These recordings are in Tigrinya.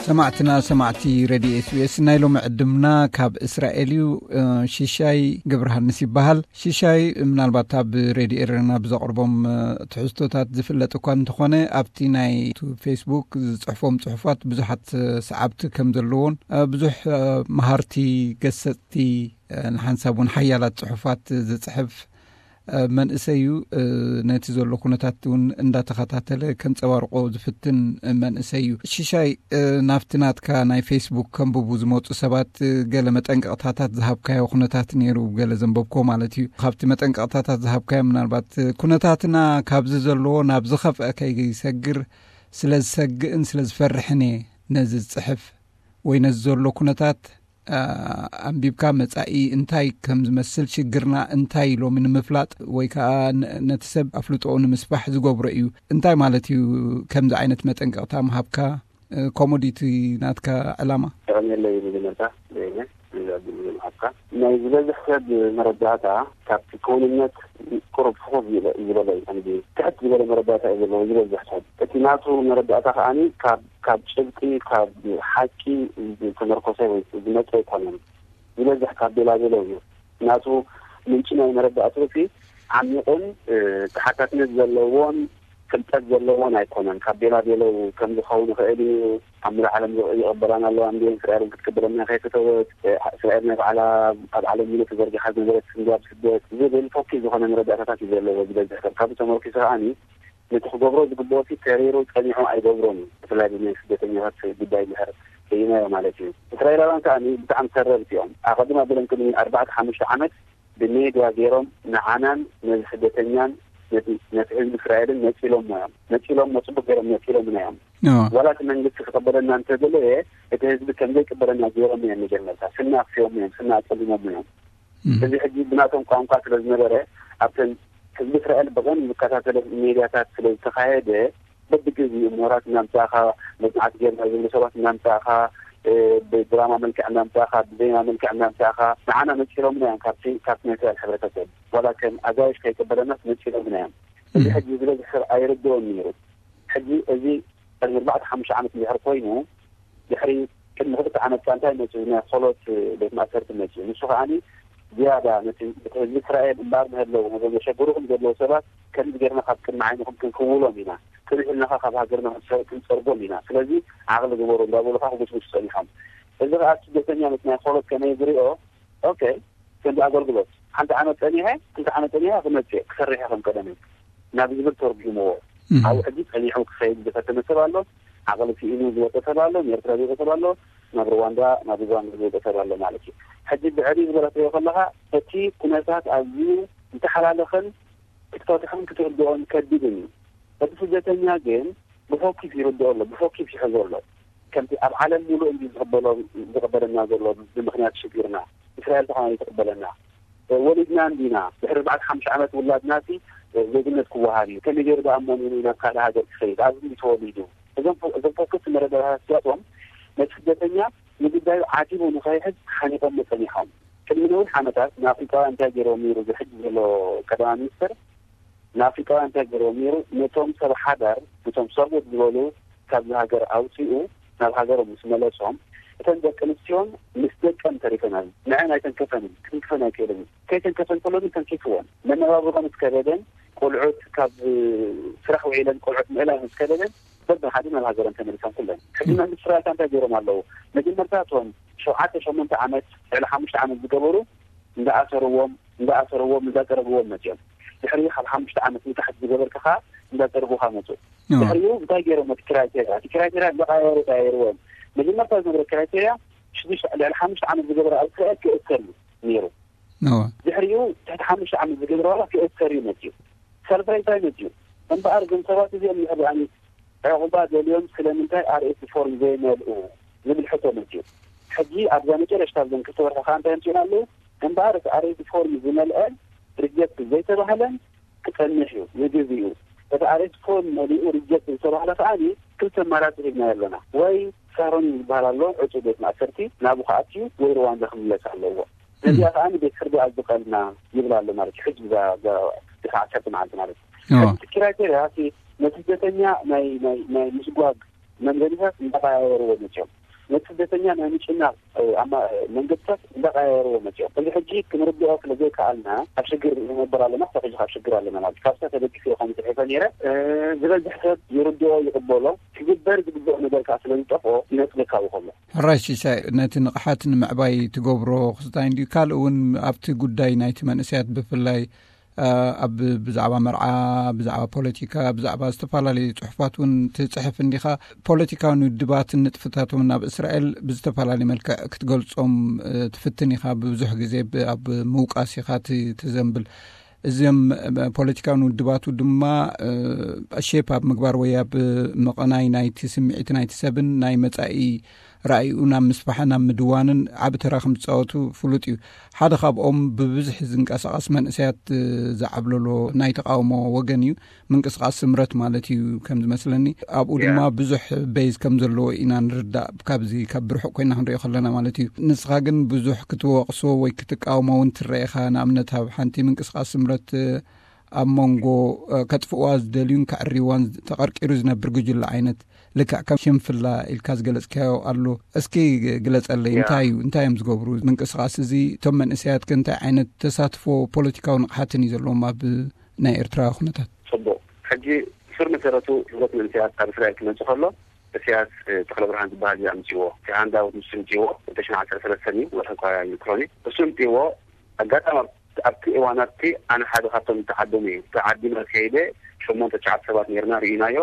ሰማዕትና ሰማዕቲ ሬድዮ ኤስቢኤስ፣ ናይ ሎሚ ዕድምና ካብ እስራኤል እዩ። እ፣ ሽሻይ ገብረሃንስ ይበሃል። ሽሻይ ምናልባት ኣብ ሬድዮ ኤረና ብዘቕርቦም፣ እ፣ ትሕዝቶታት ዝፍለጥ እኳ እንተኾነ፣ ኣብቲ ናይ ቱ ፌስቡክ ዝጽሕፎም ጽሑፋት ብዙሓት፣ እ፣ ሰዓብቲ ከም ዘለዎን፣ እ፣ ብዙሕ፣ እ፣ መሃርቲ፣ ገሰጽቲ፣ እ፣ ንሓንሳብ እውን ሓያላት ጽሑፋት ዝጽሕፍ፣ እ፣ መንእሰይ እዩ። እ፣ ነቲ ዘሎ ኩነታት እውን እንዳተኸታተለ ከንጸባርቆ ዝፍትን መንእሰይ እዩ። ሽሻይ፣ እ፣ ናብቲ ናትካ ናይ ፌስቡክ ከንብቡ ዝመጹ ሰባት፣ እ፣ ገለ መጠንቀቕታታት ዝሃብካዮ ኩነታት ነይሩ፣ ገለ ዘንበብኮ ማለት እዩ። ካብቲ መጠንቀቕታታት ዝሃብካዮ፣ ምናልባት፣ እ፣ ኩነታትና ካብዚ ዘለዎ ናብ ዝኸፍአ ከይሰግር ስለ ዝሰግእን ስለ ዝፈርሕን እየ ነዚ ዝጽሕፍ ወይ ነዚ ዘሎ ኩነታት፣ እ፣ ኣንቢብካ መጻኢ እንታይ ከም ዝመስል፣ ሽግርና እንታይ ሎሚ ንምፍላጥ ወይ ከኣ ነ-፣ ነቲ ሰብ ኣፍልጦኡ ንምስፋሕ ዝገብሮ እዩ። እንታይ ማለት እዩ ከምዚ ዓይነት መጠንቀቕታ ምሃብካ? እ፣ ከምኡ ድዩ እቲ ናትካ ዕላማ? የቐንየለይ። መጀመርታ፣ በየነ፣ ነዚ ዕድል እዚ ምሃብካ። ናይ ዝበዝሕ ሰብ መረዳእታ ካብቲ ክውንነት ቁሩብ ፍኹስ ዝበ-፣ ዝበለ እዩ። ከምዚ ትሕት ዝበለ መረዳእታ እዩ ዘለዎ ዝበዝሕ ሰብ። እቲ ናቱ መረዳእታ ከኣኒ ካብ፣ ካብ ጭብጢ፣ ካብ ሓቂ ዝተመርኮሰ ወይ ዝመጸ ኣይኮነን። ዝበዝሕ ካብ ቤላቤለው እዩ። ናቱ ምንጪ ናይ መረዳእትኡ እቲ ዓሚቑን፣ እ፣ ተሓታትነት ዘለዎን ፍልጠት ዘለዎን ኣይኮነን። ካብ ቤላቤለው ከም ዝኸውን ይኽእል እዩ። ኣብ ምሉእ ዓለም ዝ-፣ ይቕበላና ኣለዋ እንድየን፣ እስራኤል እውን ክትቅበለና ከይፈተወት፣ እ፣ እስራኤል ናይ ባዕላ ኣብ ዓለም ሙሉእ ተዘርጊሓ ዝነበረት ክንዲ ኣብ ስደት ዝብል ፎኪስ ዝኾነ መረዳእታታት እዩ ዘለዎ ዝበዝሕ ሰብ። ካብኡ ተመርኪሱ ከኣኒ ነቲ ክገብሮ ዝግብኦ ሲ ተሪሩ ጸኒሑ ኣይገብሮን እዩ። ብፍላይ ብናይ ስደተኛታት ጉዳይ እንድሕር ርእይናዮ ማለት እዩ። እስራኤላውያን ከኣኒ ብጣዕሚ ተረርቲ እዮም። ኣቐድም ኣቢሎም ቅድሚ ኣርባዕተ ሓሙሽተ ዓመት ብሜድያ ገይሮም ንዓናን ነዚ ስደተኛን ነቲ፣ ነቲ ህዝቢ እስራኤልን ነጺሎሞ እዮም። ነጺሎሞ፣ ጽቡቅ ገይሮም ነጺሎምና እዮም። ዋላ እቲ መንግስቲ ክቕበለና እንተደለየ፣ እቲ ህዝቢ ከም ዘይቅበለና ገይሮም እዮም። መጀመርታ ስና ኣክስዮም እዮም፣ ስና ኣጸሊሞም እዮም። እዚ ሕጂ ብናቶም ቋንቋ ስለ ዝነበረ፣ ኣብተን ህዝቢ እስራኤል ብቐን ዝከታተለ ሜድያታት ስለ ዝተኻየደ፣ በብግዜኡ ምሁራት እናምጻእኻ፣ መጽናዕቲ ጌርና ዝብሉ ሰባት እናምጻእኻ፣ እ፣ ብድራማ መልክዕ እናምጻእኻ፣ ብዜማ መልክዕ እናምጻእኻ፣ ንዓና ነጺሎምና እዮም ካብቲ፣ ካብቲ ናይ እስራኤል ሕብረተሰብ። ዋላ ከም ኣጋይሽ ከይቅበለናስ ነጺሎምና እዮም። እዚ ሕጂ ዝበዝሕ ሰብ ኣይርድኦን ነይሩ። ሕጂ እዚ ቅድሚ ኣርባዕተ ሓሙሽተ ዓመት እንድሕር ኮይኑ፣ ድሕሪ ቅድሚ ክልተ ዓመት ከኣ እንታይ መጺኡ? ናይ ኾሎት ቤት ማእሰርቲ መጺኡ። ንሱ ከኣኒ ዝያዳ ነቲ፣ እቲ ህዝቢ እስራኤል እምበኣር ንህለዉ፣ ነዞም ዘሸግሩኹም ዘለዉ ሰባት ከምዚ ጌርና ካብ ቅድሚ ዓይንኹም ክንክውሎም ኢና፣ ክንሕልናኻ ካብ ሃገርና ክንጸ-፣ ክንጸርጎም ኢና። ስለዚ ዓቕሊ ግበሩ እንዳበሉ ከኣ ክጉስጉሱ ጸኒሖም። እዚ ከኣ ስደተኛ ነቲ ናይ ኾሎት ከመይ ዝሪኦ? ኦኬ፣ ከምዚ ኣገልግሎት ሓንቲ ዓመት ጸኒሐ፣ ክልተ ዓመት ጸኒሐ ክመጽእ፣ ክሰርሕ እየ ከም ቀደመይ ናብ ዝብል ተርጉምዎ። እም። ኣብኡ ሕጂ ጸኒሑ ክኸይድ ዝፈተነ ሰብ ኣሎ፣ ዓቕሊ ስኢኑ ዝወጸ ሰብ ኣሎ፣ ንኤርትራ ዝወጸ ሰብ ኣሎ፣ ናብ ሩዋንዳ፣ ናብ ዩጋንዳ ዝወጸ ሰብ ኣሎ ማለት እዩ። ሕጂ ብዕሊ ዝበለ ትሪኦ ከለኻ፣ እቲ ኩነታት ኣዝዩ ዝተሓላለኸን ክትፈትሖን ክትርድኦን ከቢድን እዩ። እቲ ስደተኛ ግን ብፎኪስ ይርድኦ ኣሎ፣ ብፎኪስ ይሕዞ ኣሎ። ከምቲ ኣብ ዓለም ሙሉእ እንዲ ዝቕበሎ፣ ዝቕበለና ዘሎ ብምኽንያት ሽግርና፣ እስራኤል ተኾና ይትቕበለና። ወሊድና እንዲና፣ ድሕሪ ኣርባዕተ ሓሙሽተ ዓመት ውላድና ሲ ዜግነት ክወሃብ እዩ። ከመይ ገይሩ ደኣ እሞ ንሉ ናብ ካልእ ሃገር ክኸይድ? ኣብዚ እንዲ ተወሊዱ። እዞም ፎ-፣ እዞም ፎኪስ መረዳእታታት እዚኣቶም ነቲ ስደተኛ ንጉዳዩ ዓቲቡ ንኸይሕዝ ሓኒቖሞ ጸኒሖም። ቅድሚ ነዊሕ ዓመታት ንኣፍሪቃውያን እንታይ ገይሮም ነይሩ? እዚ ሕጂ ዘሎ ቀዳማይ ሚኒስትር ንኣፍሪቃውያን እንታይ ገይሮም ነይሩ? ነቶም ሰብ ሓዳር፣ ነቶም ሰብኡት ዝበሉ ካብዚ ሃገር ኣውጺኡ ናብ ሃገሮም ምስ መለሶም፣ እተን ደቂ ኣንስትዮን ምስ ደቀን ተሪፈናል። ንዐን ኣይተንከፈንን፣ ክንክፈን ኣይክእልን። ከይተንከፈን ከሎ ግን ተንኪፍወን። መነባብሮን ምስ ከበደን፣ ቆልዑት ካብ ስራሕ ውዒለን ቆልዑት ምእላይ ምስ ከበደን፣ በብሓደ ናብ ሃገረን ተመሊሰን ኩለን። ሕጂ መንግስቲ እስራኤል እንታይ ገይሮም ኣለዉ? መጀመርታ እቶም ሸውዓተ ሸሞንተ ዓመት፣ ልዕሊ ሓሙሽተ ዓመት ዝገበሩ እንዳኣሰርዎም፣ እንዳኣሰርዎም፣ እንዳጸረግዎም መጺኦም። ድሕሪኡ ካብ ሓሙሽተ ዓመት ንታሕቲ ዝገበርካ ከኣ እንዳጸርጉኻ መጹ። ድሕሪኡ እንታይ ገይሮም? እቲ ክራይቴርያ፣ እቲ ክራይቴርያ እንዳቐያየሩ ቀያየርዎም። መጀመርታ ዝነበረ ክራይቴርያ ሽዱሽተ፣ ልዕሊ ሓሙሽተ ዓመት ዝገበረ ኣብ እስራኤል ክእሰር እዩ ነይሩ። ድሕሪኡ ትሕቲ ሓሙሽተ ዓመት ዝገበረ ዋላ ክእሰር እዩ መጺኡ። ሳልሳይ እንታይ መጺኡ? እምበኣር እዞም ሰባት እዚኦም ንሕብኣኒ ዕቑባ ደልዮም ስለምንታይ ኣርኤስ ፎርም ዘይመልኡ ዝብል ሕቶ መጺኡ። ሕጂ ኣብዛ መጨረሽታ ኣብዘን ክልተ ወርሒ ከኣ እንታይ ኣምጺኡና ኣለዉ? እምበኣር እቲ ኣርኤስ ፎርም ዝመልአ ሪጀክት ዘይተባህለን ክጸንሕ እዩ ንግዜኡ። እቲ ኣርኤስ ፎርም መሊኡ ሪጀክት ዝተባህለ ከኣ ክልተ ኣማራጺ ሂብናዮ ኣለና። ወይ ሳሮን ዝበሃል ኣሎ ዕጹው ቤት ማእሰርቲ፣ ናብኡ ክኣትዩ ወይ ሩዋንዳ ክምለስ ኣለዎ። ነዚኣ ከኣ ቤት ፍርዲ ኣዝቐልና ይብል ኣሎ ማለት እዩ። ሕጂ እዛ፣ እዛ ድሕሪ ዓሰርተ መዓልቲ ማለት እዩ። ሕጂ እቲ ክራይቴርያ እቲ ነቲ ስደተኛ ናይ፣ ናይ፣ ናይ ምስጓግ መንገድታት እንዳቀያየርዎ መፅኦም፣ ነቲ ስደተኛ ናይ ምጭናቕ ኣማ መንገድታት እንዳቀያየርዎ መፅኦም። እዚ ሕጂ ክንርድኦ ስለ ዘይከኣልና ኣብ ሽግር ንነብር ኣለና፣ ክሳብ ሕጂ ካብ ሽግር ኣለና ማለት እዩ። ካብታ ተደጊፈ ኢኹም ጽሒፈ ነይረ። ዝበዝሕ ሰብ ይርድኦ፣ ይቕበሎ። ክግበር ዝግብኦ ነገር ከዓ ስለ ዝጠፍኦ ይነጽግ ካብ ከሎ። ሕራይ ሲሳይ፣ ነቲ ንቕሓት ንምዕባይ ትገብሮ ክስታይ እንድዩ። ካልእ እውን ኣብቲ ጉዳይ ናይቲ መንእሰያት ብፍላይ ኣብ ብዛዕባ መርዓ፣ ብዛዕባ ፖለቲካ፣ ብዛዕባ ዝተፈላለዩ ጽሑፋት እውን ትጽሕፍ እንዲኻ። ፖለቲካውን ውድባትን ንጥፍታቶም ናብ እስራኤል ብዝተፈላለየ መልክዕ ክትገልጾም ትፍትን ኢኻ። ብዙሕ ግዜ ኣብ ምውቃስ ኢኻ ትዘንብል። እዚም ፖለቲካውን ውድባቱ ድማ ሼፕ ኣብ ምግባር ወይ ኣብ ምቕናይ ናይቲ ስምዒት ናይቲ ሰብን ናይ መጻኢ ራእይኡ ናብ ምስፋሕን ኣብ ምድዋንን ዓቢ ተራ ከም ዝጻወቱ ፍሉጥ እዩ። ሓደ ካብኦም ብብዝሒ ዝንቀሳቐስ መንእሰያት ዝዓብለሎ ናይ ተቃውሞ ወገን እዩ። ምንቅስቃስ ስምረት ማለት እዩ ከም ዝመስለኒ። ኣብኡ ድማ ብዙሕ ቤዝ ከም ዘለዎ ኢና ንርዳእ፣ ካብዚ ካብ ብርሑቕ ኮይና ክንሪኦ ከለና ማለት እዩ። ንስኻ ግን ብዙሕ ክትወቕሶ ወይ ክትቃውሞ እውን ትረኤኻ። ንኣብነት ኣብ ሓንቲ ምንቅስቃስ ስምረት ኣብ መንጎ ከጥፍእዋ ዝደልዩን ከዕርይዋን ተቐርቂሩ ዝነብር ጉጅለ ዓይነት ልክዕ ከም ሽንፍላ ኢልካ ዝገለጽካዮ ኣሎ። እስኪ ግለጸለይ፣ እንታይ እዩ፣ እንታይ እዮም ዝገብሩ? ምንቅስቃስ እዚ እቶም መንእሰያት ከ እንታይ ዓይነት ተሳትፎ ፖለቲካዊ ንቕሓትን እዩ ዘለዎም ኣብ ናይ ኤርትራ ኩነታት? ጽቡቕ። ሕጂ ስር መሰረቱ ህብረት መንእሰያት ኣብ እስራኤል ክመጽእ ከሎ እስያስ ተኽለብርሃን ዝበሃል እዩ ኣምጺዎ። እቲ ሃንዳውት ንሱ ኣምጺዎ፣ ክልተ ሽሕን ዓሰርተ ሰለስተን እዩ፣ ወርሒ እኳ ኣይዝክሮን እዩ። እሱ ኣምጺዎ። ኣጋጣሚ ኣብቲ እዋን ኣብቲ ኣነ ሓደ ካብቶም ዝተዓደሙ እዩ። ተዓዲመ ከይደ ሸሞንተ ትሽዓተ ሰባት ነርና፣ ርኢናዮ።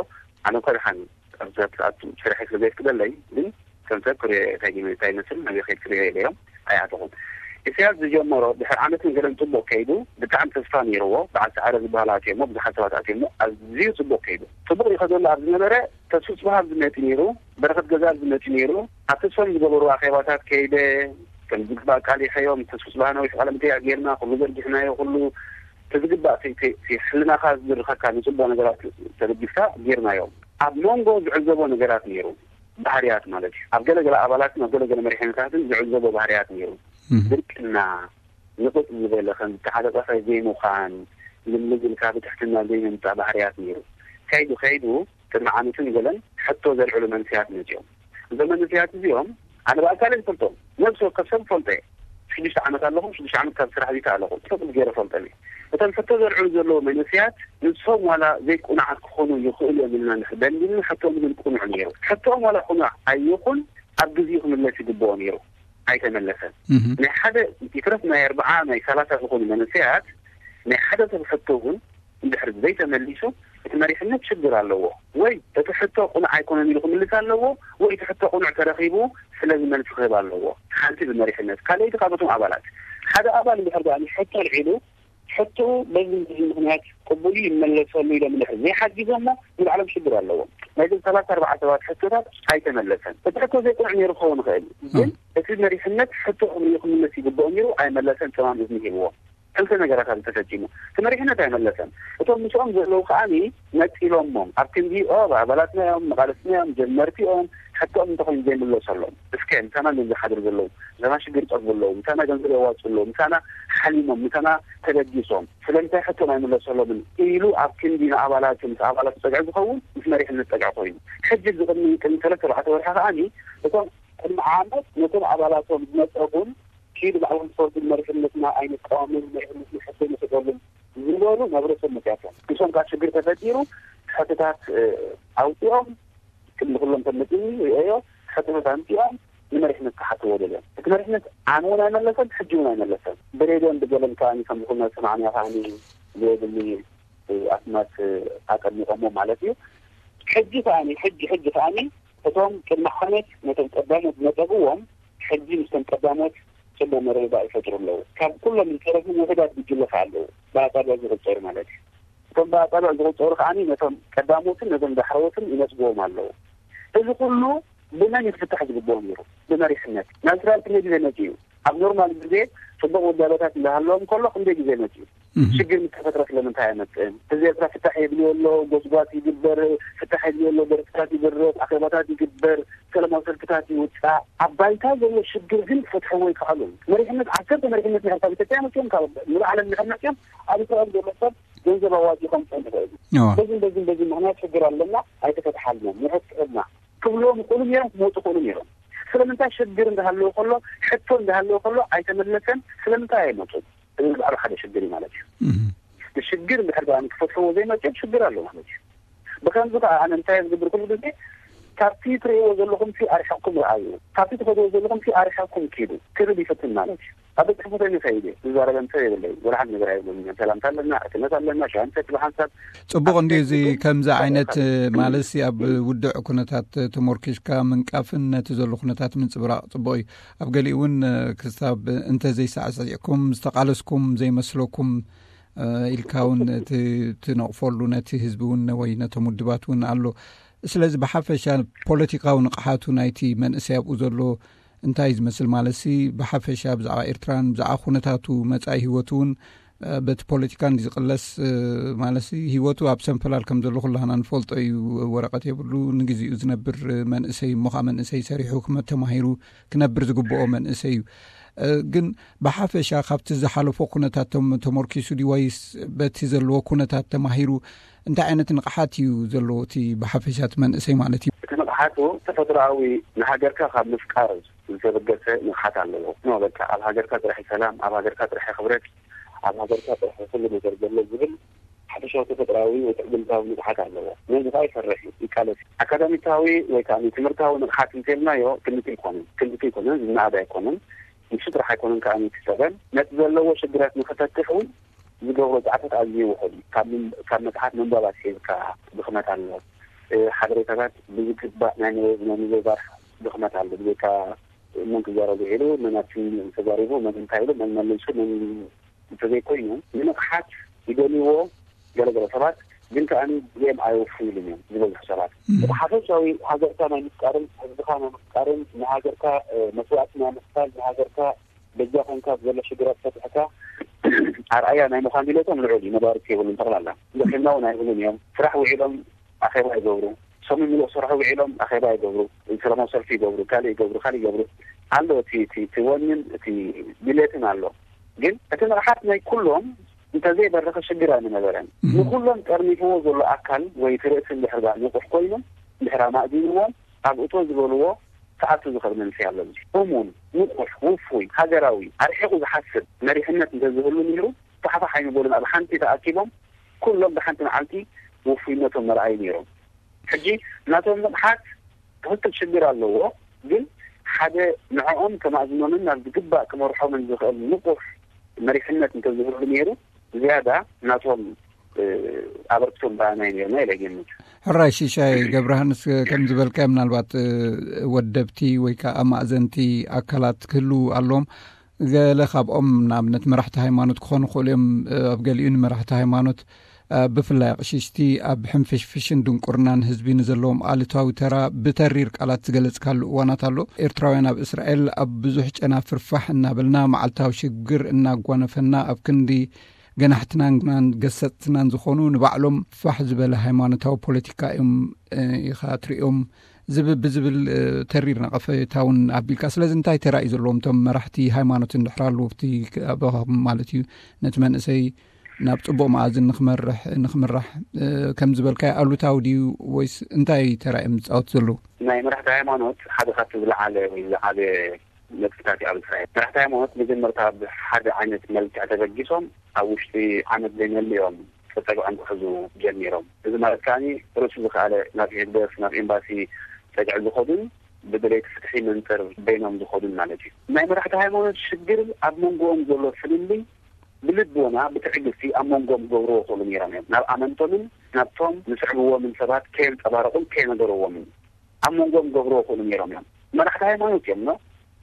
ኣነ እኳ ደሓን ኣብዛ ሰዓት ስራሕ ስለ ዘየፍቅደለይ ግን ከም ሰብ ክሪኦ እንታይ ይመስል ናበይ ከይድ ክሪኦ ኢለዮም ኣይኣተኹን። ኢሳያስ ዝጀመሮ ድሕሪ ዓመትን ገለን ጽቡቕ ከይዱ፣ ብጣዕሚ ተስፋ ነይርዎ። በዓል ሰዓረ ዝበሃል ኣትዮሞ፣ ብዙሓት ሰባት ኣትዮሞ፣ ኣዝዩ ጽቡቕ ከይዱ። ጽቡቕ ይኸደሉ ኣብ ዝነበረ ተስፉ ጽባሃብ ዝመጽ ነይሩ፣ በረኸት ገዛል ዝመጽ ነይሩ። ኣብ ተስፎም ዝገበሩ ኣኼባታት ከይደ ከም ዝግባእ ቃል ይኸዮም። ተስፉ ጽባሃ ነዊሕ ቃለ መጠይቕ ጌርና፣ ኩሉ ዘርጊሕናዮ፣ ኩሉ ተዝግባእ ሕልናኻ ዝድርኸካ ንጽቡቕ ነገራት ተደጊፍካ ጌርናዮ። ኣብ መንጎ ዝዕዘቦ ነገራት ነይሩ፣ ባህርያት ማለት እዩ። ኣብ ገለገለ ኣባላትን ኣብ ገለገለ መሪሕነታትን ዝዕዘቦ ባህርያት ነይሩ። ድርቅና፣ ንቕጽ ዝበለ ከም ዝተሓለቐፈ ዘይምዃን፣ ልምዝልካ ብትሕትና ዘይምምጻእ ባህርያት ነይሩ። ከይዱ ከይዱ ቅድሚ ዓመትን ገለን ሕቶ ዘልዕሉ መንስያት መጺኦም። እዞም መንስያት እዚኦም ኣነ ብኣካል ይፈልጦም፣ ነብሲ ወከፍ ሰብ ፈልጦ እየ። ሽዱሽተ ዓመት ኣለኹም፣ ሽዱሽተ ዓመት ካብ ስራሕ ዚካ ኣለኹም፣ ጽቡቅ ገይረ ፈልጦም እየ። እቶም ሕቶ ዘልዕሉ ዘለዉ መንስያት ንሶም ዋላ ዘይቁኑዓት ክኾኑ ይኽእሉ እዮም ኢልና ንሕደን ግን ሕቶም ግን ቁኑዕ ነይሩ። ሕቶም ዋላ ቁኑዕ ኣይኹን ኣብ ግዜኡ ክምለስ ይግብኦ ነይሩ፣ ኣይተመለሰን። ናይ ሓደ ይትረፍ ናይ ኣርብዓ ናይ ሰላሳ ዝኾኑ መንስያት ናይ ሓደ ሰብ ሕቶ እውን እንድሕር ዘይተመሊሱ እቲ መሪሕነት ሽግር ኣለዎ። ወይ እቲ ሕቶ ቁኑዕ ኣይኮነን ኢሉ ክምልስ ኣለዎ፣ ወይ እቲ ሕቶ ቁኑዕ ተረኺቡ ስለዚ መልሲ ክህብ ኣለዎ። ሓንቲ ብመሪሕነት፣ ካልኣይቲ ካብቶም ኣባላት። ሓደ ኣባል እንድሕር ደኣ ሕቶ ኣልዒሉ ሕቶ በዚ በዚ ምኽንያት ቅቡል እዩ ይመለሰሉ ኢሎም እንድሕር ዘይሓጊዞሞ ንባዕሎም ሽግር ኣለዎም። ናይዞም ሰላሳ ኣርባዓ ሰባት ሕቶታት ኣይተመለሰን። እቲ ሕቶ ዘይቁኑዕ ነይሩ ክኸውን ይኽእል እዩ፣ ግን እቲ መሪሕነት ሕቶ ክምልስ ይግብኦ ነይሩ ኣይመለሰን፣ ጸማም እዝኒ ሂብዎ። ክልተ ነገራት ኣብዚ ተፈጺሙ። እቲ መሪሕነት ኣይመለሰን። እቶም ምስኦም ዘለዉ ከኣ ነጺሎሞም። ኣብ ክንዲ ኦ ኣባላትና እዮም፣ መቓልስትና እዮም፣ ጀመርቲ እዮም፣ ሕቶኦም እንተኾይኑ ዘይምለሰሎም። እስከ ምሳና እዮም ዝሓድሩ ዘለዉ፣ ምሳና ሽግር ይጸግቡ ኣለዉ፣ ምሳና ገንዘብ የዋጽኡ ኣለዉ፣ ምሳና ሓሊሞም፣ ምሳና ተበጊሶም ስለምንታይ ሕቶም ኣይምለሰሎምን ኢሉ ኣብ ክንዲ ንኣባላቱ ምስ ኣባላቱ ጸግዒ ዝኸውን ምስ መሪሕነት ጸግዒ ኮይኑ። ሕጂ እዚ ቅድሚ ቅድሚ ሰለስተ ኣርባዕተ ወርሒ ከኣ እቶም ቅድሚ ዓመት ነቶም ኣባላቶም ዝነጸጉን ኪዱ ባዕሎም ዝፈልጡ መሪሕነትና ኣይንቃወምን፣ መሪሕነትና ሕቶ ንሰጠሉን ዝበሉ ናብ ርእሶም መፅያቶም። ንሶም ካብ ሽግር ተፈጢሩ ሕቶታት ኣውፂኦም ቅድሚ ኩሎም ተመፅኒ ሪኦዮ ሕቶታት ኣምፂኦም ንመሪሕነት ክሓትዎ ደልዮም። እቲ መሪሕነት ኣነ እውን ኣይመለሰን፣ ሕጂ እውን ኣይመለሰን። ብሬድዮን ብገለን ከዓኒ ከም ዝኾነ ሰማዕና ከዓኒ ዘየድሊ ኣስማት ኣቀሚጦሞ ማለት እዩ። ሕጂ ከዓኒ ሕጂ ሕጂ ከዓኒ እቶም ቅድሚ ዓመት ነቶም ቀዳሞት ዝነጠግዎም ሕጂ ምስቶም ቀዳሞት ጽቡቕ መረዳዳእ ይፈጥሩ ኣለዉ። ካብ ኩሎም ዝተረፉ ውሑዳት ጉጅለ ከኣ ኣለዉ፣ ብኣጻብዕ ዝቑጸሩ ማለት እዩ። እቶም ብኣጻብዕ ዝቑጸሩ ከኣ ነቶም ቀዳሞትን ነቶም ዳሕረዎትን ይነጽግዎም ኣለዉ። እዚ ኩሉ ብመን እዩ ክፍታሕ ዝግብኦ ነይሩ? ብመሪሕነት። ናብ እስራኤል ክንደይ ግዜ መጺኡ? ኣብ ኖርማል ግዜ ጽቡቕ ውዳበታት እንዳሃለዎም ከሎ ክንደይ ግዜ መጺኡ? ሽግር ምስ ተፈጥረ ስለምንታይ ኣይመጽእን? ህዝቢ ኤርትራ ፍታሕ የድልዮ ኣሎ፣ ጎስጓስ ይግበር፣ ፍታሕ የድልዮ ኣሎ፣ ደርፍታት ይድረፍ፣ ኣኼባታት ይግበር፣ ሰላማዊ ሰልፍታት ይውጻእ። ኣብ ባይታ ዘሎ ሽግር ግን ክፈትሕዎ ኣይከኣሉን። መሪሕነት፣ ዓሰርተ መሪሕነት ናይ ኤርትራ ኣብ ኢትዮጵያ መጺኦም፣ ካብ ሙሉእ ዓለም እንድሕር መጺኦም፣ ኣብ እስራኤል ዘሎ ሰብ ገንዘብ ኣዋጺኡ ከምጽኦም ይኽእል። እዋ። በዚን በዚን በዚን ምኽንያት ሽግር ኣለና፣ ኣይተፈትሓልናን፣ ንሕጽረልና። ክብልዎም ይኽእሉ ነይሮም፣ ክመፁ ይኽእሉ ነይሮም። ስለምንታይ ሽግር እንዳሃለወ ከሎ፣ ሕቶ እንዳሃለወ ከሎ ኣይተመለሰን? ስለምንታይ ኣይመፁን? እዚ ብዓሉ ሓደ ሽግር እዩ ማለት እዩ። ንሽግር እንድሕር ደኣ ክፈትሕዎ ዘይመፅኦም ሽግር ኣሎ ማለት እዩ። ብከምዚ ከዓ ኣነ እንታይ ዝገብር ኩሉ ግዜ፣ ካብቲ ትርእይዎ ዘለኹም ሲ ኣርሒቕኩም ረኣዩ፣ ካብቲ ትኸድዎ ዘለኹም ሲ ኣርሒቕኩም ኪዱ ክብል ይፍትን ማለት እዩ። ኣብ ቤት ጽሕፈት ይኸይድ እየ፣ ዝዛረበን ሰብ የብለይ፣ ወላ ሓንቲ ነገር ኣይብሉን። ሰላምታ ኣለና፣ ዕርክነት ኣለና፣ ሻሂ ንሰቲ ብሓንሳብ። ጽቡቕ እንድዩ። እዚ ከምዚ ዓይነት ማለት ሲ ኣብ ውድዕ ኩነታት ተሞርኪሽካ ምንቃፍን ነቲ ዘሎ ኩነታት ምንጽብራቕ ጽቡቕ እዩ። ኣብ ገሊኡ እውን ክሳብ እንተዘይሳዕስዒኩም ዝተቓለስኩም ዘይመስለኩም ኢልካ እውን ትነቕፈሉ ነቲ ህዝቢ እውን ወይ ነቶም ውድባት እውን ኣሎ። ስለዚ ብሓፈሻ ፖለቲካዊ ንቕሓቱ ናይቲ መንእሰይ ኣብኡ ዘሎ እንታይ ዝመስል ማለት ሲ ብሓፈሻ ብዛዕባ ኤርትራን ብዛዕባ ኩነታቱ መጻኢ ህይወቱ እውን በቲ ፖለቲካ እንዲ ዝቕለስ ማለት ሲ ህይወቱ ኣብ ሰንፈላል ከም ዘሎ ኩላህና ንፈልጦ እዩ። ወረቐት የብሉ፣ ንግዚኡ ዝነብር መንእሰይ እሞ ከዓ መንእሰይ ሰሪሑ ክመ- ተማሂሩ ክነብር ዝግብኦ መንእሰይ እዩ። ግን ብሓፈሻ ካብቲ ዝሓለፎ ኩነታት ተመርኪሱ ድዩ ወይስ በቲ ዘለዎ ኩነታት ተማሂሩ እንታይ ዓይነት ንቕሓት እዩ ዘለዎ እቲ ብሓፈሻ እቲ መንእሰይ ማለት እዩ? እቲ ንቕሓቱ ተፈጥሮኣዊ ንሃገርካ ካብ ምፍቃር ዝተበገሰ ንቕሓት ኣለዎ። ኖ በቃ ኣብ ሃገርካ ጥራሕ ሰላም፣ ኣብ ሃገርካ ጥራሕ ክብረት፣ ኣብ ሃገርካ ጥራሕ ኩሉ ነገር ዘሎ ዝብል ሓፈሻዊ ተፈጥሮኣዊ ወይ ትዕግምታዊ ንቕሓት ኣለዎ። ነዚ ከዓ ይሰርሕ እዩ፣ ይቃለስ እዩ። ኣካዳሚካዊ ወይ ከዓ ትምህርታዊ ንቕሓት እንተልናዮ ክልተ ኣይኮነን፣ ክልተ ኣይኮነን፣ ዝነኣድ ኣይኮነን። ንሱ ጥራሕ ኣይኮነን ከዓ እቲ ሰበን ነቲ ዘለዎ ሽግራት ንክፈትሕ እውን ዝገብሮ ፃዕታት ኣዝዩ ውሑድ እዩ። ካብ ምን- ካብ መፅሓፍ ምንባብ ኣስሒብካ ድኽመት ኣሎ። ሓበሬታታት ብዝግባእ ናይ ምብ- ናይ ምብርባር ድኽመት ኣሎ። ብዘይካ መን ክዛረብ ውዒሉ፣ መን ኣብቲ ተዛሪቡ፣ መን እንታይ ኢሉ፣ መን መሊሱ፣ መን እንተዘይኮይኑ፣ ንንቕሓት ይደልይዎ ገለገለ ሰባት፣ ግን ከኣ እዚኦም ኣይወፍዩሉን እዮም ዝበዝሑ ሰባት። እቲ ሓፈሻዊ ሃገርካ ናይ ምፍቃርን ህዝብኻ ናይ ምፍቃርን ንሃገርካ መስዋእቲ ናይ ምኽፋል ንሃገርካ በጃ ኮንካ ዘሎ ሽግራት ፈትሕካ ኣርኣያ ናይ ምዃን ድሌቶም ልዑል እዩ። መዳርግቲ የብሉን። ጠቕላላ ሕክምና እውን ኣይብሉን እዮም። ስራሕ ውዒሎም ኣኼባ ይገብሩ። ሰሙን ምሉእ ክሰርሑ ውዒሎም ኣኼባ ይገብሩ፣ ሰላማዊ ሰልፊ ይገብሩ፣ ካልእ ይገብሩ፣ ካልእ ይገብሩ ኣሎ። እቲ እቲ እቲ ወንን እቲ ድሌትን ኣሎ። ግን እቲ ንቕሓት ናይ ኩሎም እንተዘይበረኸ ሽግር ኣይምነበረን። ንኩሎም ጠርኒፍዎ ዘሎ ኣካል ወይ እቲ ርእሲ እንድሕር ደኣ ንቑሕ ኮይኑ እንድሕር ኣማእዚንዎም ኣብ እቶ ዝበልዎ ክኣቱ ዝኽእል መንእሰይ ኣሎ። እሙን፣ ንቑሕ፣ ውፉይ፣ ሃገራዊ፣ ኣርሒቑ ዝሓስብ መሪሕነት እንተዝህሉ ነይሩ ፋሕፋሕ ኣይምበሉን። ኣብ ሓንቲ ተኣኪቦም ኩሎም ብሓንቲ መዓልቲ ውፉይነቶም መርኣዩ ነይሮም። ሕጂ ናቶም ንቕሓት ትኽክል ሽግር ኣለዎ፣ ግን ሓደ ንዕኦም ከማእዝኖምን ናብ ዝግባእ ክመርሖምን ዝኽእል ንቑሕ መሪሕነት እንተዝህሉ ነይሩ ዝያዳ ናቶም ኣበርክቶ ምረኣናይ ነርና ኢለ ይገምት። ሕራይ ሽሻይ ገብረሃንስ፣ ከም ዝበልካዮ ምናልባት ወደብቲ ወይ ከዓ ኣማእዘንቲ ኣካላት ክህልዉ ኣለዎም። ገለ ካብኦም ንኣብነት መራሕቲ ሃይማኖት ክኾኑ ይኽእሉ እዮም። ኣብ ገሊኡ ንመራሕቲ ሃይማኖት ብፍላይ ኣቕሽሽቲ ኣብ ሕንፍሽፍሽን ድንቁርናን ህዝቢ ንዘለዎም ኣሉታዊ ተራ ብተሪር ቃላት ዝገለጽካሉ እዋናት ኣሎ። ኤርትራውያን ኣብ እስራኤል ኣብ ብዙሕ ጨናፍር ፋሕ እናበልና መዓልታዊ ሽግር እናጓነፈና ኣብ ክንዲ ገናሕትናን ገሰጽትናን ዝኾኑ ንባዕሎም ፋሕ ዝበለ ሃይማኖታዊ ፖለቲካ እዮም ኢኻ ትርእዮም ዝብ ብዝብል ተሪር ነቐፌታ እውን ኣቢልካ። ስለዚ እንታይ ተራ እዩ ዘለዎም እቶም መራሕቲ ሃይማኖት እንድሕር ኣለዉ ኣብቲ ኣባኻኹም ማለት እዩ ነቲ መንእሰይ ናብ ጽቡቕ መኣዝን ንኽመርሕ ንኽምራሕ ከም ዝበልካዮ ኣሉታዊ ድዩ ወይስ እንታይ ተራ እዮም ዝጻወቱ ዘለዉ? ናይ መራሕቲ ሃይማኖት ሓደ ካብቲ ዝለዓለ ወይ ዝዓበየ ነጥብታት እዩ ኣብ እስራኤል። መራሕቲ ሃይማኖት መጀመርታ ብሓደ ዓይነት መልክዕ ተበጊሶም ኣብ ውሽጢ ዓመት ዘይመልእ እዮም ተጸግዖም ክሕዙ ጀሚሮም። እዚ ማለት ከኣ ርእሱ ዝኸኣለ ናብ ህግደፍ ናብ ኤምባሲ ጸግዒ ዝኸዱን ብደለይቲ ፍትሒ መንጽር በይኖም ዝኸዱን ማለት እዩ። ናይ መራሕቲ ሃይማኖት ሽግር ኣብ መንጎኦም ዘሎ ፍልልይ ብልቦና ብትዕግስቲ ኣብ መንጎኦም ክገብርዎ ይኽእሉ ነይሮም እዮም። ናብ ኣመንቶምን ናብቶም ዝስዕብዎምን ሰባት ከየንጸባረቑን ከየነገርዎምን ኣብ መንጎኦም ክገብርዎ ይኽእሉ ነይሮም እዮም። መራሕቲ ሃይማኖት እዮም ኖ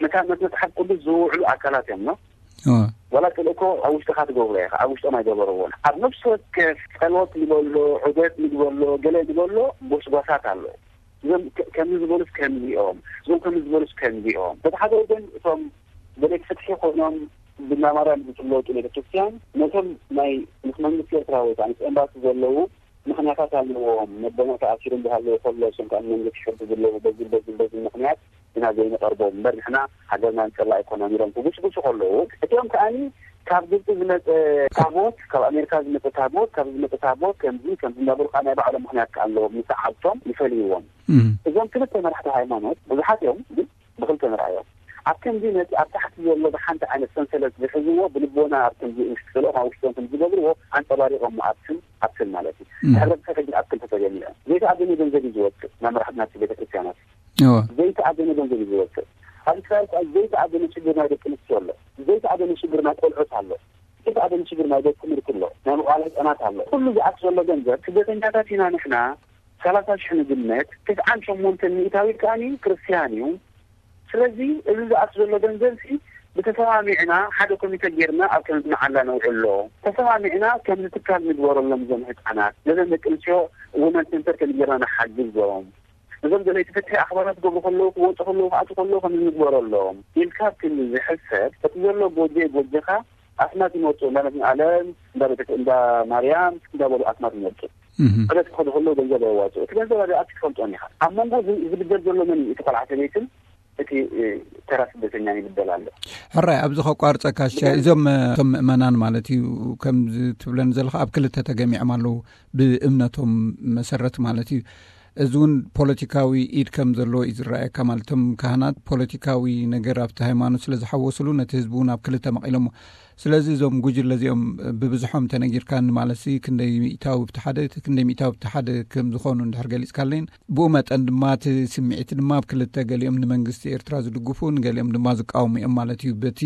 ነታ ነቲ መጽሓፍ ቅዱስ ዝውዕሉ ኣካላት እዮም ኖ ዋላ ጥልእኮ ኣብ ውሽጥኻ ትገብሮ ኢኻ፣ ኣብ ውሽጦም ኣይገበርዎን። ኣብ ነፍሲ ወከፍ ጸሎት ንበሎ፣ ዑደት ንግበሎ፣ ገለ ንበሎ ጎስጓሳት ኣሎ። እዞም ከ- ከምዚ ዝበሉስ ከምዚኦም፣ እዞም ከምዚ ዝበሉስ ከምዚኦም። በቲ ሓደ ወገን እቶም ደለይቲ ፍትሒ ኮይኖም ብናማርያም ዝፍለጡ ቤተክርስትያን ነቶም ናይ ምስ መንግስቲ ኤርትራ ወይ ከዓ ምስ ኤምባሲ ዘለዉ ምኽንያታት ኣለዎም። መበኖ ተኣሲሩ እንዳሃለወ ከሎ እሶም ከዓ መንግስቲ ሕጊ ዝለዉ በዚ በዚ በዚ ምኽንያት ኢና ዘይንቐርቦም እምበር ንሕና ሃገርና ንጸላ ኣይኮናን ኢሎም ክጉስጉሱ ከለዉ እቲኦም ከዓኒ ካብ ግብፂ ዝመፀ ታቦት ካብ ኣሜሪካ ዝመፀ ታቦት ካብ ዝመፀ ታቦት ከምዚ ከምዚ እንዳበሉ ከዓ ናይ ባዕሎም ምኽንያት ከዓ ኣለዎም ንሰዓብቶም ይፈልይዎም። እዞም ክልተ መራሕቲ ሃይማኖት ብዙሓት እዮም፣ ግን ብክልተ ንርኣዮም። ኣብ ከምዚ ነቲ ኣብ ታሕቲ ዘሎ ብሓንቲ ዓይነት ሰንሰለት ዝሕዝዎ ብልቦና ኣብ ከምዚ ውሽጢ ክልኦም ኣብ ውሽጦም ከም ዝገብርዎ ኣንጸባሪቖም ኣብትን ኣብትን ማለት እዩ። ሕብረተሰብ ሕጂ ኣብ ክልተ ተገሚዖም። ዘይተኣደነ ገንዘብ እዩ ዝወፅእ ናብ መራሕቲ ናብቲ ቤተክርስትያናት። ዘይተኣደነ ገንዘብ እዩ ዝወፅእ። ኣብ እስራኤል ከኣ ዘይተኣደነ ሽግር ናይ ደቂ ኣንስትዮ ኣሎ። ዘይተኣደነ ሽግር ናይ ቆልዑት ኣሎ። ዘይተኣደነ ሽግር ናይ ቤት ትምህርቲ ኣሎ። ናይ መዋእለ ህፃናት ኣሎ። ኩሉ ዝኣት ዘሎ ገንዘብ ስደተኛታት ኢና ንሕና። ሰላሳ ሽሕ ንግምት፣ ትስዓን ሸሞንተን ሚእታዊት ከኣኒ ክርስትያን እዩ። ስለዚ እዚ ዝኣት ዘሎ ገንዘብ ሲ ብተሰማሚዕና ሓደ ኮሚተ ጌርና ኣብ ከምዚ መዓላ ነውዕሎ። ተሰማሚዕና ከምዚ ትካል ንግበረሎም፣ እዞም ህፃናት ነዘን ደቂ ኣንስትዮ ውመን ሴንተር ከምዚ ጌርና ንሓግዞም። እዞም ዘለይቲ ፍትሒ ኣኽባራት ክገብሩ ከለዉ፣ ክወፁ ከለዉ፣ ክኣቱ ከለዉ ከምዚ ንግበረሎም ኢልካ ክንዲ ዝሕሰብ እቲ ዘሎ ጎጆ ጎጆኻ ኣስማት ይመፁ፣ እንዳ መድኃኔዓለም፣ እንዳ ቤተ እንዳ ማርያም እንዳበሉ ኣስማት ይመፁ። ዕለት ክኸዱ ከለዉ ገንዘብ የዋፅኡ። እቲ ገንዘብ ኣበይ ኣቲ ትፈልጦን ኢኻ። ኣብ መንጎ እዚ ዝብደል ዘሎ መን እዩ? እቲ ቆልዓ ሰበይትን እቲ ተራ ስደተኛን ይብደል ኣሎ። ሕራይ፣ ኣብዚ ከቋርፀካ ሽሻይ፣ እዞም እቶም ምእመናን ማለት እዩ፣ ከምዚ ትብለን ዘለኻ ኣብ ክልተ ተገሚዖም ኣለዉ፣ ብእምነቶም መሰረት ማለት እዩ። እዚ እውን ፖለቲካዊ ኢድ ከም ዘለዎ እዩ ዝረኣየካ። ማለት እቶም ካህናት ፖለቲካዊ ነገር ኣብቲ ሃይማኖት ስለ ዝሓወስሉ ነቲ ህዝቢ እውን ኣብ ክልተ መቒሎሞ። ስለዚ እዞም ጉጅለ እዚኦም ብብዝሖም ተነጊርካኒ ማለት ሲ ክንደይ ሚእታዊ ብቲ ሓደ ክንደይ ሚእታዊ ብቲ ሓደ ከም ዝኾኑ እንድሕር ገሊፅካለይን፣ ብኡ መጠን ድማ እቲ ስምዒት ድማ ኣብ ክልተ፣ ገሊኦም ንመንግስቲ ኤርትራ ዝድግፉ፣ ንገሊኦም ድማ ዝቃወሙ እዮም ማለት እዩ። በቲ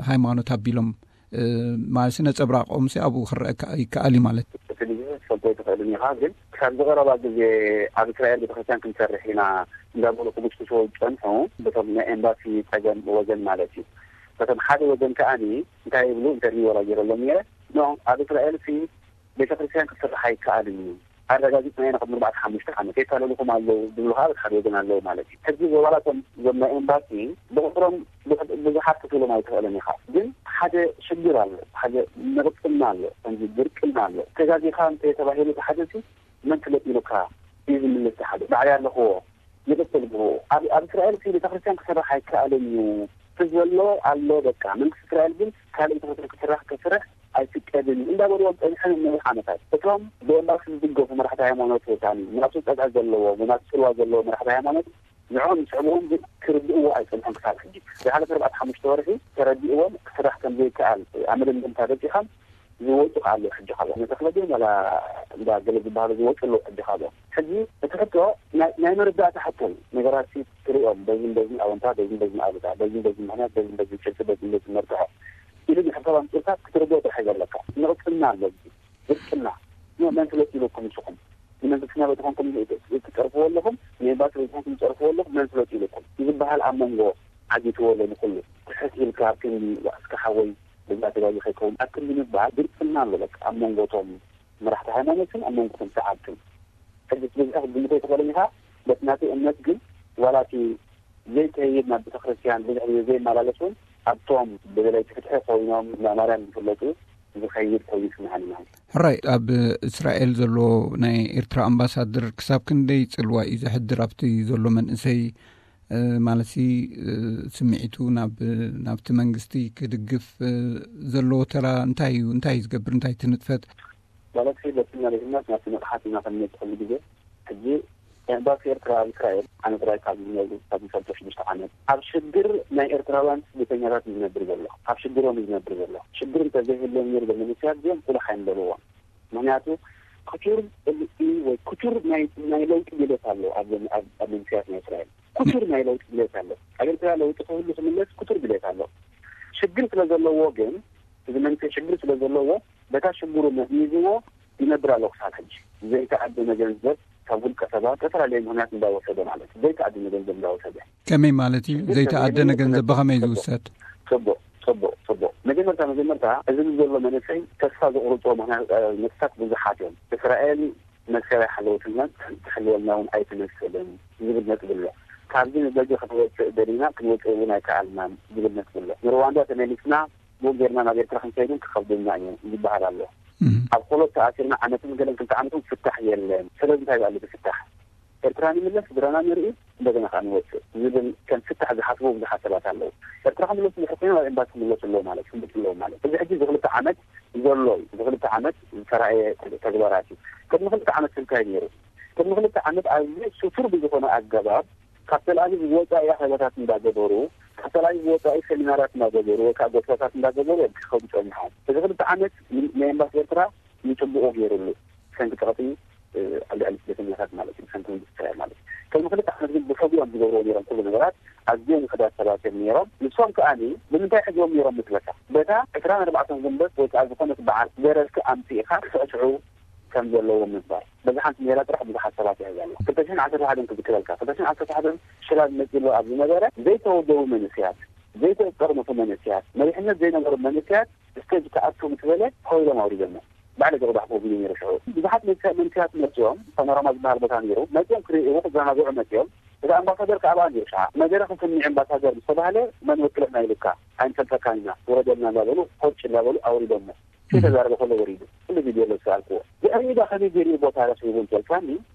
ሃይማኖት ኣቢሎም ማለት ነጸብራቆም ሲ ኣብኡ ክረአ ይከኣል እዩ ማለት። እቲ ግዜ ክትፈልጦ ኣይትኽእልን ኢኻ፣ ግን ክሳብ ዝቐረባ ግዜ ኣብ እስራኤል ቤተክርስትያን ክንሰርሕ ኢና እንዳበሉ ክጉስጉስዎ ዝጸንሑ፣ በቶም ናይ ኤምባሲ ጸገም ወገን ማለት እዩ። በቶም ሓደ ወገን ከኣኒ እንታይ ይብሉ፣ ኢንተርቪው ወላ ገይረሎም ነይረ። ኖ፣ ኣብ እስራኤል ሲ ቤተክርስትያን ክስራሕ ኣይከኣልን እዩ። ኣረጋጊጽና ኢና ቅድሚ ኣርባዕተ ሓሙሽተ ዓመት። የታለልኹም ኣለዉ ዝብሉ ከዓ በቲ ሓደ ወገን ኣለዉ ማለት እዩ። ሕጂ ዋላ እቶም እዞም ናይ ኤምባሲ ብቁጽሮም ብዙሕ-፣ ብዙሓት ክትብሎም ኣይትኽእልን ኢኻ። ግን ሓደ ሽግር ኣሎ፣ ሓደ ንቕጽና ኣሎ፣ ከምዚ ድርቅና ኣሎ። ተጋጊኻ እንተ ተባሂሉ እቲ ሓደ ሲ መን ፍለጥ ኢሉካ እዩ ዝምልስ እቲ ሓደ። ባዕለይ ኣለኽዎ። ይቕጽል ብኡ። ኣብ፣ ኣብ እስራኤል ሲ ቤተክርስትያን ክስራሕ ኣይከኣልን እዩ። እቲ ዘሎ ኣሎ በቃ። መንግስቲ እስራኤል ግን ካልእ ቤተክርስትያን ክስራሕ፣ ክስራሕ ኣይፍቀድን እዩ እንዳበልዎም ጸኒሖም ነዊሕ ዓመታት። እቶም ብኤምባሲ ዝድገፉ መራሕቲ ሃይማኖት ወሳኒ፣ ናቱ ጸግዒ ዘለዎም፣ ናቱ ጽልዋ ዘለዎም መራሕቲ ሃይማኖት ንዕኦም ዝስዕብዎም ግን ክርድእዎ ኣይጸንሑን ክሳብ ሕጂ። ዝሓለፈ ኣርባዕተ ሓሙሽተ ወርሒ ተረዲእዎም ክስራሕ ከም ዘይከኣል ኣብ መደምደምታ በጺሖም ዝወጹ ከኣ ኣለዉ። ሕጂ ካብኦም ንተኽለ ግን ዋላ እንዳ ገለ ዝበሃሉ ዝወጹ ኣለዉ። ሕጂ ካብኦም ሕጂ እቲ ሕቶ ናይ፣ ናይ መረዳእታ ሕቶ እዩ። ነገራት ሲ ትሪኦም በዝን በዝን ኣወንታ፣ በዝን በዝን ኣሉታ፣ በዝን በዝን ምኽንያት፣ በዝን በዝን ጭብጢ፣ በዝን በዝን መርትዖ ኢሉ ንሕሳብ ኣምጺእካ ክትርድኦ ጥራሕ እዩ ዘለካ። ንቕጽና ኣሎ፣ ድርቅና። ኖ፣ መን ፍለጥ ኢለኩም ንስኹም? ንመንግስትና በትኾንኩም ትጸርፍዎ ኣለኹም፣ ንኤምባሲ በትኾንኩም ትጸርፍዎ ኣለኹም፣ መን ፍለጥ ኢለኩም? ዝበሃል ኣብ መንጎ ዓጊትዎ ኣሎ ንኹሉ። ትሕት ኢልካ ኣብ ክንዲ እስከ ሓወይ በዛ ተጋጊ ከይከውን ኣብ ክንዲ ምባል ድርቅና ኣሎ። በቃ ኣብ መንጎ እቶም መራሕቲ ሃይማኖትን ኣብ መንጎ እቶም ሰዓብትን። ሕጂ ብዝሒ ክትግምቶ ኣይትኽእልን ኢኻ። በቲ ናተይ እምነት ግን ዋላ እቲ ዘይከይድ ናብ ቤተክርስትያን ብዙሕ ግዜ ዘይመላለስ እውን ኣብቶም ብደለይቲ ፍትሒ ኮይኖም እንዳ ማርያም ዝፍለጡ ዝኸይድ ኮይኑ ይስምዓኒ ማለት እዩ። ሕራይ፣ ኣብ እስራኤል ዘሎ ናይ ኤርትራ ኣምባሳደር ክሳብ ክንደይ ጽልዋ እዩ ዘሕድር ኣብቲ ዘሎ መንእሰይ፣ እ፣ ማለትሲ፣ እ፣ ስምዒቱ ናብ፣ ናብቲ መንግስቲ ክድግፍ፣ እ፣ ዘለዎ ተራ እንታይ እዩ? እንታይ እዩ ዝገብር? እንታይ እቲ ንጥፈት? ማለት በቲ ናበይነት ናብቲ ንቕሓት ኢና ክንመጽእ ኩሉ ግዜ። ሕጂ ኤምባሲ ኤርትራ ኣብ እስራኤል ኣነ ጥራይ ካብ ዝነብሩ ካብ ዝፈልጦ ሽዱሽተ ዓመት ኣብ ሽግር ናይ ኤርትራውያን ስደተኛታት እዩ ዝነብር ዘሎ። ኣብ ሽግሮም እዩ ዝነብር ዘሎ። ሽግር እንተዘይህልዎም ነይሩ ዘሎ መንእሰያት እዚኦም ቁልሕ ኣይምበልዎም። ምኽንያቱ ክቱር ጽልኢ ወይ ክቱር ናይ፣ ናይ ለውጢ ድሌት ኣሎ ኣብ፣ ኣብ፣ ኣብ መንእሰያት ናይ እስራኤል። ክቱር ናይ ለውጢ ድሌት ኣሎ። ኣብ ኤርትራ ለውጢ ክህሉ ክምለስ ክቱር ድሌት ኣሎ። ሽግር ስለ ዘለዎ ግን፣ እዚ መንእሰይ ሽግር ስለ ዘለዎ፣ በታ ሽግሩ መዝሚዝዎ ይነብር ኣሎ ክሳብ ሕጂ። ዘይተኣደነ ገንዘብ ካብ ውልቀ ሰባት ዝተፈላለየ ምኽንያት እንዳወሰደ ማለት እዩ። ዘይተኣደነ ገንዘብ እንዳወሰደ። ከመይ ማለት እዩ? ሽግር ዘይተኣደነ ከመይ ገንዘብ ብኸመይ ጽቡቕ፣ ዝውሰድ? ጽቡቕ፣ ጽቡቕ፣ ጽቡቕ። መጀመርታ፣ መጀመርታ፣ እዚ ዘሎ መንእሰይ ተስፋ ዘቑርጾ ምኽንያት፣ እ፣ ነጥብታት ብዙሓት እዮም። እስራኤል መሰል ኣይሓለወትናን ትሕልወልና እውን ኣይትመስልን ዝብል ነጥቢ ኣሎ። ካብዚ ንደገ ክንወፅእ ደሊና ክንወፅእ እውን ኣይከኣልናን ዝብል ነጥቢ ኣሎ። ንሩዋንዳ ተመሊስና ብኡ ጌርና ናብ ኤርትራ ክንከይድን ክኸብደና እዩ ዝበሃል ኣሎ። እም። ኣብ ኮሎት ተኣሲርና ዓመትን ገለን ክልተ ዓመትን ፍታሕ የለን። ስለዚ እንታይ ኣሎ እቲ ፍታሕ? ኤርትራ ንምለስ፣ ስድራና ንርኢ፣ እንደገና ከዓ ንወፅእ ዝብል ከም ፍታሕ ዝሓስቡ ብዙሓት ሰባት ኣለዉ። ኤርትራ ክምለሱ እንድሕር ኮይኖም ኣብ ኤምባሲ ክምለሱ ኣለዉ ማለት፣ ክምለሱ ኣለዉ ማለት። እዚ ሕጂ እዚ ክልተ ዓመት ዘሎ እዩ። እዚ ክልተ ዓመት ዝተራእየ ተግባራት እዩ። ቅድሚ ክልተ ዓመት እንታይ ነይሩ? ቅድሚ ክልተ ዓመት ኣዝዩ ስቱር ብዝኾነ ኣገባብ ካብ ተልኣቪቭ ወፃኢ ኣኼባታት እንዳገበሩ፣ ካብ ተልኣቪቭ ወፃኢ ሰሚናራት እንዳገበሩ ወይ ከዓ ጎስባታት እንዳገበሩ እዮም ክኸዱ ፀኒሖም። እዚ ክልተ ዓመት ን- ናይ ኤምባሲ ኤርትራ ንፅቡቁ ገይሩሉ፣ ሰንቲ ፀቕጢ ኣልዕሊ ስደተኛታት ማለት እዩ፣ ሰንቲ መንግስቲ እስራኤል ማለት እዩ። ቅድሚ ክልተ ዓመት ግን ብሕቡእ እዮም ዝገብርዎ ነይሮም ኩሉ ነገራት። ኣዝዮም ውሕዳት ሰባት እዮም ነይሮም። ንሶም ከኣኒ ብምንታይ ሕዝዎም ነይሮም ምስለካ? በታ ዕስራን ኣርባዕተን ጉንበት ወይ ከዓ ዝኾነት በዓል ደረፍቲ ኣምፂእኻ ክስዕስዑ ከም ዘለዎም ምግባር። በዛ ሓንቲ ሜላ ጥራሕ ብዙሓት ሰባት ይሕዝ ኣሎ። ክልተ ሽሕን ዓሰርተ ሓደን ክዝክረልካ፣ ክልተ ሽሕን ዓሰርተ ሓደን ሽላል መፂሉ ኣብ ዝነበረ ዘይተወደቡ መንእሰያት፣ ዘይተጠርነፉ መንእሰያት፣ መሪሕነት ዘይነበሩ መንእሰያት ስቴጅ ክኣቱ ምስ በለ ኮይሎም ኣውሪዶሞ። ባዕለ ዝቕዳሕኩ ቪድዮ ነይሩ ሽዑ። ብዙሓት መንእሰያት መፅኦም፣ ፓኖራማ ዝበሃል ቦታ ነይሩ፣ መፅኦም ክርእይዎ ክዘናግዑ መፅኦም። እቲ ኣምባሳደር ከኣ ኣብኣ ነይሩ። ሸዓ መደረ ክስምዕ ኣምባሳደር ምስ ተባህለ መን ወክለና ኢሉካ፣ ኣይንፈልጠካን ኢና፣ ውረደልና እንዳበሉ፣ ኮጭ እንዳበሉ ኣውሪዶሞ። ከይተዛረበ ከሎ ወሪዱ። ኩሉ ቪድዮ ኣሎ ዝሰኣልክዎ። ድሕሪኡ ዳ ከመይ ገይሩ እዩ ቦታ ረኺቡ እንተልካኒ፣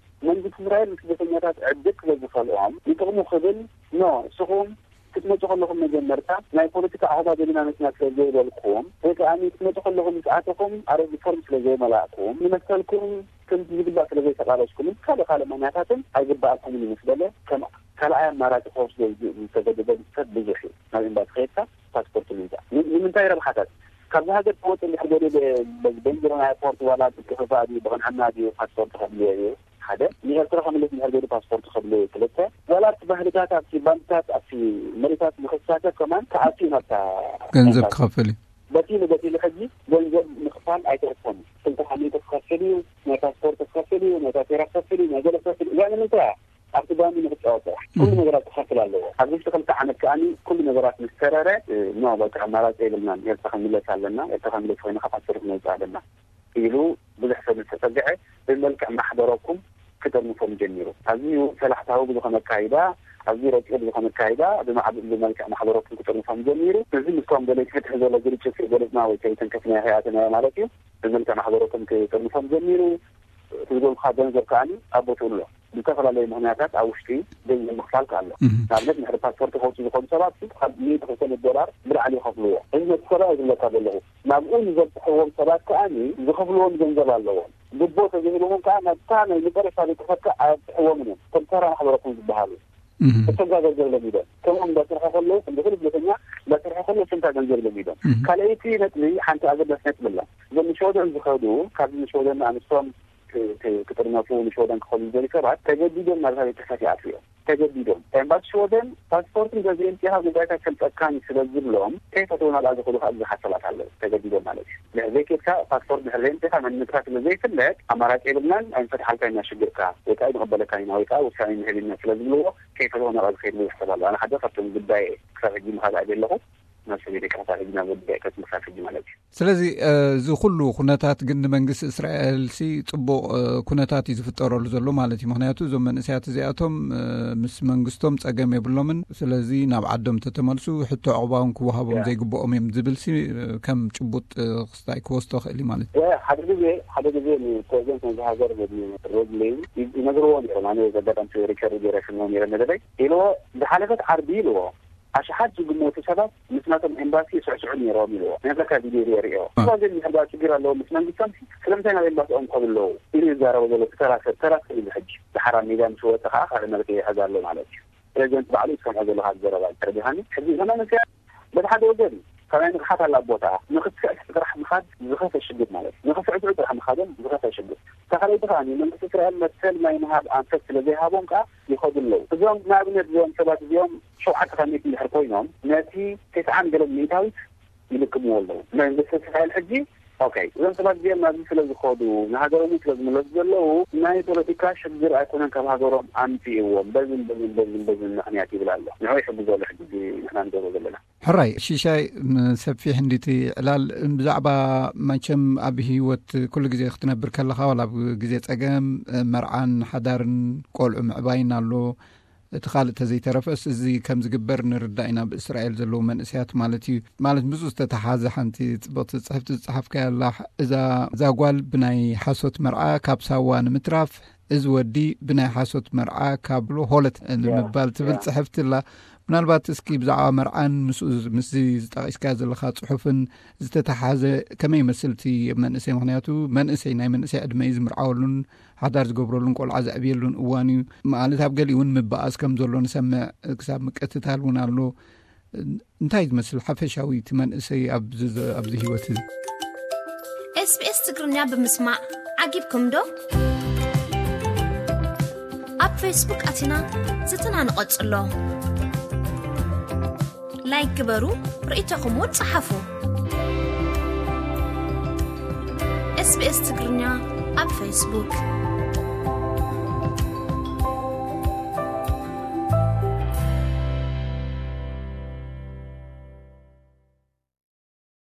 መንግስቲ እስራኤል ንስደተኛታት ዕድል ስለ ዝኸልኦም ንጥቕሙ ክብል፣ ኖ፣ እስኹም ክትመፁ ከለኹም መጀመርታ ናይ ፖለቲካ ኣኹባ ደሊና መፅና ስለ ዘይበልኩም ወይ ከዓ ክትመፁ ከለኹም ምስ ኣተኹም ኣረግ ፎርም ስለ ዘይመላእኩም ንመሰልኩም ከምቲ ዝግባእ ስለ ዘይተቓለስኩምን ካልእ ካልእ ምኽንያታትን ኣይግባኣኩምን እዩ ምስ በለ ከም ካልኣይ ኣማራፂ ክወስዶ ዝተገደደ ሰብ ብዙሕ እዩ። ናብ ኤምባሲ ከይድካ ፓስፖርት ምምፃእ ን- ንምንታይ ረብሓታት? ካብዚ ሃገር ክወፅእ እንድሕር ገሊኡ ብ- በዚ በንጅሮን ኣየርፖርት ዋላ ብክፍፋእ ድዩ ብቕንዕና ድዩ ፓስፖርት ከድልዮ እዩ። ሓደ ንኤርትራ ክምልስ እንድሕር ገሊኡ ፓስፖርት ከድልዮ እዩ። ክልተ ዋላ ኣብቲ ባህልታት ኣብቲ ባንክታት ኣብቲ መሬታት ንክሳተፍ ከማን ክኣቱ እዩ ናብታ ገንዘብ ክኸፍል እዩ። በቲሉ በቲሉ ሕጂ ገንዘብ ምኽፋል ኣይተርፎን እዩ። ክልተ ሓሚተ ክኸፍል እዩ፣ ናይ ፓስፖርት ክኸፍል እዩ፣ ናይ ታፔራ ክኸፍል እዩ፣ ናይ ገለ ክኸፍል እዩ። እዚኣ ንምንታይ እያ? ኣብቲ ባንዲ ንክጫወት ጥራሕ ኩሉ ነገራት ክኸፍል ኣለዎ። ኣብዚ ውሽጢ ክልተ ዓመት ከኣ ኩሉ ነገራት ምስ ተረረ ኖ በቃ ኣማራፂ የብልናን፣ ኤርትራ ክንምለስ ኣለና፣ ኤርትራ ክንምለስ ኮይና ካብ ሓፂር ክነውፅእ ኣለና ኢሉ ብዙሕ ሰብ ዝተፀግዐ ብመልክዕ ማሕበረኩም ክጥርንፎም ጀሚሩ። ኣዝዩ ሰላሕታዊ ብዝኾነ ኣካይዳ፣ ኣዝዩ ረቂቕ ብዝኾነ ኣካይዳ ብማዕብ- ብመልክዕ ማሕበረኩም ክጥርንፎም ጀሚሩ። እዚ ምስቶም ደለይቲ ፍትሒ ዘሎ ግርጭት ገለፅና ወይ ከይተንከፍናዮ ከይኣተናዮ ማለት እዩ። ብመልክዕ ማሕበረኩም ክጥርንፎም ጀሚሩ። እቲ ዝገብርካ ገንዘብ ከኣ ኣብ ቦትኡ ኣሎ። ዝተፈላለዩ ምኽንያታት ኣብ ውሽጢ ገንዘብ ምኽፋል ከኣ ኣሎ። ንኣብነት ንሕሪ ፓስፖርት ከውፅኡ ዝኸዱ ሰባት ካብ ሚእቲ ክልተ ሚእቲ ዶላር ብላዕሊ ይኸፍልዎ። እዚ ነቲ ሰብኣይ ዝብለካ ዘለኹ ናብኡ ንዘብፅሕዎም ሰባት ከኣ ዝኸፍልዎም ገንዘብ ኣለዎም። ግቦ ተዘይህልዎም ከኣ ናብታ ናይ መጨረሻ ቤተሰብካ ኣያብፅሕዎምን እዮም። ከም ተራ ማሕበረኩም ዝበሃሉ እቶም ገንዘብ ለሚዶም ከምኦም እንዳሰርሐ ከለዉ ከም ዝኽእል ስደተኛ እንዳሰርሐ ከለዉ ስንታ ገንዘብ ለሚዶም። ካልኣይቲ ነጥቢ ሓንቲ ኣገዳሲ ነጥቢ ኣላ። እዞም ንሸወደን ዝኸዱ ካብዚ ንሸወደን ኣንስቶም ክጥርነፉ ንሽወደን ክኸዱ ዝደልዩ ሰባት ተገዲዶም ናብ ቤት ጽሕፈት ይኣትዉ እዮም። ተገዲዶም ኤምባሲ ሽወደን ፓስፖርትን ገዚኦም ፂኻ ጉዳይካ ፈልጠካን ስለ ዝብሎም ከይፈተው ናብኣ ዝኸዱ ከዓ ብዙሓት ሰባት ኣለዉ። ተገዲዶም ማለት እዩ። ድሕር ዘይኬድካ ፓስፖርት ድሕር ዘይምፅኻ መንነትካ ስለ ዘይፍለጥ ኣማራፂ የብልናን ኣይንፈትሓልካ ኢና ሽግርካ ወይ ከዓ ንቕበለካ ኢና ወይ ከዓ ውሳኔ ንህብ ኢና ስለ ዝብልዎ ከይፈተው ናብኣ ዝኸይድ ብዙሕ ሰብ ኣሎ። ኣነ ሓደ ካብቶም ጉዳይ ክሳብ ሕጂ ምኻድ ኣበ ኣለኹ ናብ ሰበይተይ ክሳብ ሕጂ ናብ ወዲ ከትምሳል ሕጂ ማለት እዩ። ስለዚ እዚ ኩሉ ኩነታት ግን ንመንግስቲ እስራኤልሲ ፅቡቕ ኩነታት እዩ ዝፍጠረሉ ዘሎ ማለት እዩ። ምክንያቱ እዞም መንእሰያት እዚኣቶም ምስ መንግስቶም ፀገም የብሎምን። ስለዚ ናብ ዓዶም ተተመልሱ ሕቶ ዕቑባውን ክወሃቦም ዘይግብኦም እዮም ዝብልሲ ከም ጭቡጥ ክስታይ ክወስዶ ክእል እዩ ማለት እዩ። ሓደ ግዜ ሓደ ግዜ ንፕሬዚደንት ናይዚ ሃገር ሮድሊን ይነግርዎ ነይሮም። ኣነ ዘጋጣሚ ሪከርድ ገይረ ክነው ነይረ መደበይ ኢልዎ ዝሓለፈት ዓርቢ ኢልዎ ኣሽሓት ዝግመቱ ሰባት ምስ ናቶም ኤምባሲ ይስዕስዑ ነይሮም ኢልዎ። ናይ ኣሜሪካ ቪድዮ ሪኦ ሪኦ እዛ ግን ሕባ ችግር ኣለዎ ምስ መንግስቶም ስለምንታይ ናብ ኤምባሲኦም ከብለዉ ኢሉ ይዛረቡ ዘሎ ተራ ሰብ ተራ ሰብ ኢሉ ሕጂ ዝሓራ ሜዳ ምስ ወፀ ከዓ ካልእ መልክ ይሕዝ ኣሎ ማለት እዩ። ፕሬዚደንት ባዕሉ ይሰምዖ ዘለካ ዘረባ ተረዲኻኒ። ሕዚ እዞም መንእሰያት በቲ ሓደ ወገን ካብ ናይ ንቕሓት ኣላ ቦታ ንክትስዕስዕ ጥራሕ ምኻድ ዝኸፈ ሽግር ማለት እዩ። ንክስዕስዑ ጥራሕ ምኻዶም ዝኸፈ ሽግር። ተኻለይቲ ከዓ መንግስቲ እስራኤል መሰል ናይ ምሃብ ኣንፈት ስለ ዘይሃቦም ከዓ ይኸዱ ኣለዉ። እዞም ንኣብነት እዚኦም ሰባት እዚኦም ሸውዓተ ካብ ሚእቲ እንድሕር ኮይኖም ነቲ ተስዓን ገለን ሚእታዊት ይልክምዎ ኣለዉ። መንግስቲ እስራኤል ሕጂ ኦኬ እዞም ሰባት እዚኦም ናብዚ ስለ ዝኸዱ ንሃገሮም ስለ ዝምለሱ ዘለዉ ናይ ፖለቲካ ሽግር ኣይኮነን ካብ ሃገሮም ኣምፅእዎም በዝን በዝን በዝን በዝን ምክንያት ይብል ኣሎ። ንዑ ይሕግዞ ኣሎ ሕጂ ንሕና ንገብሮ ዘለና። ሕራይ ሽሻይ ንሰፊሕ እንዲቲ ዕላል ብዛዕባ መቸም ኣብ ህይወት ኩሉ ግዜ ክትነብር ከለኻ ዋላ ኣብ ግዜ ፀገም መርዓን ሓዳርን ቆልዑ ምዕባይን ኣሎ። እቲ ካልእ ተዘይተረፈስ እዚ ከም ዝግበር ንርዳእ ኢና። ኣብ እስራኤል ዘለዉ መንእሰያት ማለት እዩ። ማለት ምስኡ ዝተተሓዘ ሓንቲ ፅብቕቲ ፅሕፍቲ ዝፀሓፍካያ ኣላ። እዛ እዛ ጓል ብናይ ሓሶት መርዓ ካብ ሳዋ ንምትራፍ እዚ ወዲ ብናይ ሓሶት መርዓ ካብ ሆለት ንምባል ትብል ፅሕፍቲ ኣላ። ምናልባት እስኪ ብዛዕባ መርዓን ምስኡ ምስዚ ዝጠቒስካ ዘለኻ ጽሑፍን ዝተተሓዘ ከመይ ይመስል እቲ መንእሰይ? ምኽንያቱ መንእሰይ ናይ መንእሰይ ዕድመ እዩ ዝምርዓወሉን ሓዳር ዝገብረሉን ቆልዓ ዘዕብየሉን እዋን እዩ። ማለት ኣብ ገሊኡ እውን ምበኣስ ከም ዘሎ ንሰምዕ፣ ክሳብ ምቅትታል እውን ኣሎ። እንታይ ዝመስል ሓፈሻዊ እቲ መንእሰይ ኣብዚ ህይወት እዚ? SBS ትግርኛ ብምስማዕ ዓጊብኩም ዶ? ኣብ ፌስቡክ ኣቲና ዝትና ንቐጽሎ። ላይክ ግበሩ፣ ርእይቶኹም እውን ጸሓፉ። SBS ትግርኛ ኣብ ፌስቡክ።